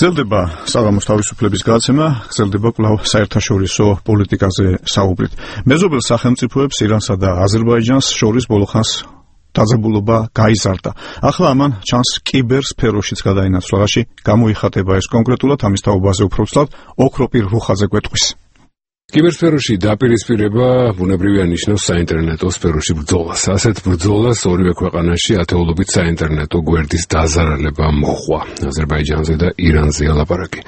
გრძელდება საღამოს თავისუფლების გადაცემა, გრძელდება კვლავ საერთაშორისო პოლიტიკაზე საუბრით. მეზობელ სახელმწიფოებს ირანსა და აზერბაიჯანს შორის ბოლოხანს დაძაბულობა გაიზარდა. ახლა ამან ჩანს კიბერსფეროშიც გადაინაცვლაში გამოიხატება ეს კონკრეტულად ამის თაობაზე უფრო ვსწავლთ ოქროპირ რუხაძე გვეტყვის. კიბერსფეროში დაპირისპირება ბუნებრივია ნიშნავს საინტერნეტო სფეროში ბრძოლას. ასეთ ბრძოლას ორივე ქვეყანაში ათეულობით საინტერნეტო გვერდის დაზარალება მოჰყვა. აზერბაიჯანზე და ირანზეა ლაპარაკი.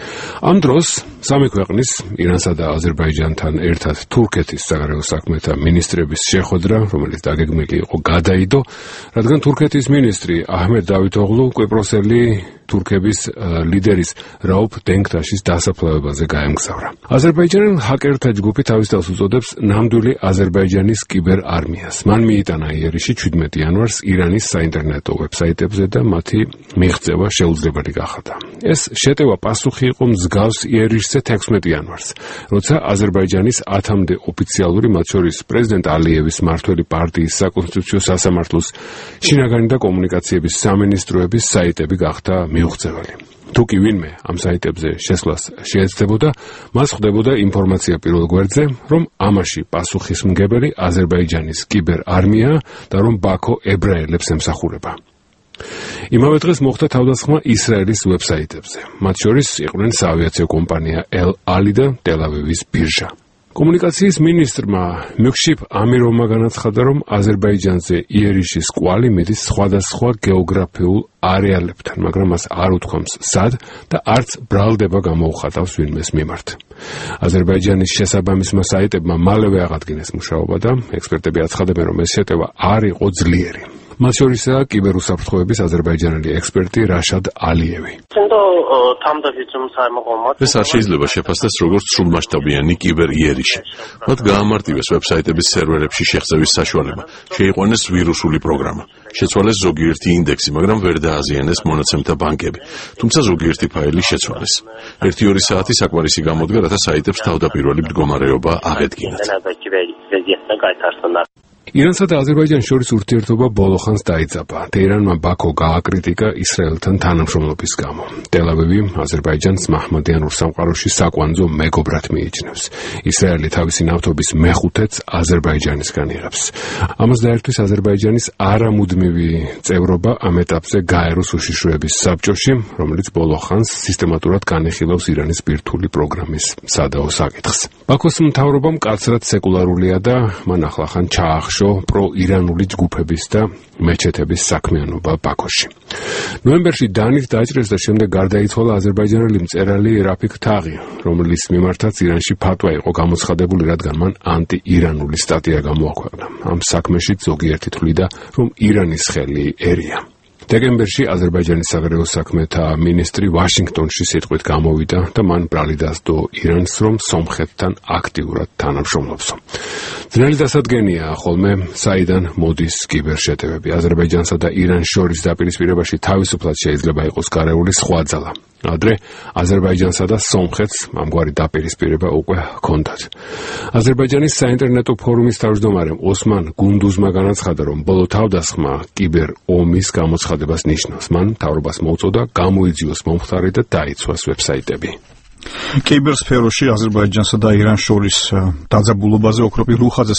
ამ დროს სამი ქვეყნის, ირანსა და აზერბაიჯანთან ერთად თურქეთის საგარეო საქმეთა მინისტრების შეხვედრა, რომელიც დაგეგმილი იყო, გადაიდო, რადგან თურქეთის მინისტრი აჰმედ დავითოღლუ კვიპროსელი თურქების ლიდერის რაუფ დენგტაშის დასაფლავებაზე გაემგზავრა. აზერბაიჯანელ ჰაკერთა ჯგუფი თავის თავს უწოდებს ნამდვილი აზერბაიჯანის კიბერ არმიას. მან მიიტანა იერიში 17 იანვარს ირანის საინტერნეტო ვებსაიტებზე და მათი მიღწევა შეუძლებელი გახადა. ეს შეტევა პასუხი იყო მსგავს იერიშზე 16 იანვარს, როცა აზერბაიჯანის 10-მდე ოფიციალური, მათ შორის პრეზიდენტ ალიევის მმართველი პარტიის საკონსტიტუციო სასამართლოს შინაგანი და კომუნიკაციების სამინისტროების საიტები გახდა მიუღწეველი. თუ კი ვინმე ამ საიტებზე შესვლას შეეცდებოდა, მას ხვდებოდა ინფორმაცია პირველ გვერდზე, რომ ამაში პასუხისმგებელი აზერბაიჯანის კიბერ არმია და რომ ბაქო ებრაელებს ემსახურება. იმავე დღეს მოხდა თავდასხმა ისრაელის ვებსაიტებზე. მათ შორის იყვნენ საავიაციო კომპანია ელ-ალი და ტელ-ავივის ბირჟა. კომუნიკაციის მინისტრმა მიქშიფ ამიროვმა განაცხადა, რომ აზერბაიჯანზე იერიშის კვალი მიდის სხვადასხვა გეოგრაფიულ არეალებთან, მაგრამ მას არ უთქვამს სად და არც ბრალდება გამოუხატავს ვინმეს მიმართ. აზერბაიჯანის შესაბამისმა საიტებმა მალევე აღადგინეს მუშაობა და ექსპერტები აცხადებენ, რომ ეს შეტევა არ იყო ძლიერი. მათ შორისაა კიბერუსაფრთხოების აზერბაიჯანელი ექსპერტი რაშად ალიევი. ეს არ შეიძლება შეფასდეს როგორც სრულმასშტაბიანი კიბერ იერიში. მათ გაამარტივეს ვებსაიტების სერვერებში შეღწევის საშუალება, შეიყვანეს ვირუსული პროგრამა, შეცვალეს ზოგიერთი ინდექსი, მაგრამ ვერ დააზიანეს მონაცემთა ბანკები, თუმცა ზოგიერთი ფაილი შეცვალეს. 1-2 საათი საკმარისი გამოდგა, რათა საიტებს თავდაპირველი მდგომარეობა აღედგინათ. ირანსა და აზერბაიჯანს შორის ურთიერთობა ბოლოხანს დაიძაბა. თეირანმა ბაქო გააკრიტიკა ისრაელთან თანამშრომლობის გამო. ტელ-ავივი აზერბაიჯანს მაჰმადიანურ სამყაროში საკვანძო მეგობრად მიიჩნევს. ისრაელი თავისი ნავთობის მეხუთედს აზერბაიჯანისგან იღებს. ამას დაერთვის აზერბაიჯანის არამუდმივი წევრობა ამ ეტაპზე გაეროს უშიშროების საბჭოში, რომელიც ბოლოხანს სისტემატურად განეხილავს ირანის ბირთვული პროგრამის სადაო საკითხს. ბაქოს მთავრობა მკაცრად სეკულარულია და მან ახლახან ჩაახშო პრო-ირანული ჯგუფების და მეჩეთების საქმიანობა ბაქოში. ნოემბერში დანით დაჭრეს და შემდეგ გარდაიცვალა აზერბაიჯანელი მწერალი რაფიქ თაღი, რომლის მიმართაც ირანში ფატვა იყო გამოცხადებული, რადგან მან ანტი-ირანული სტატია გამოაქვეყნა. ამ საქმეში ზოგიერთი თვლიდა, რომ ირანის ხელი ერია. დეკემბერში აზერბაიჯანის საგარეო საქმეთა მინისტრი ვაშინგტონში სიტყვით გამოვიდა და მან ბრალი დასდო ირანს, რომ სომხეთთან აქტიურად თანამშრომლობსო. ძნელი დასადგენია ხოლმე საიდან მოდის კიბერშეტევები. აზერბაიჯანსა და ირანს შორის დაპირისპირებაში თავისუფლად შეიძლება იყოს გარეული სხვა ძალა. ადრე აზერბაიჯანსა და სომხეთს ამგვარი დაპირისპირება უკვე ჰქონდათ. აზერბაიჯანის საინტერნეტო ფორუმის თავმჯდომარე ოსმან გუნდუზმა განაცხადა, რომ ბოლო თავდასხმა კიბერ ომის გამოცხადებას ნიშნავს. მან მთავრობას მოუწოდა გამოიძიოს მომხდარი და დაიცვას ვებსაიტები. კიბერსფეროში აზერბაიჯანსა და ირანს შორის დაძაბულობაზე ოქროპირ რუხაძე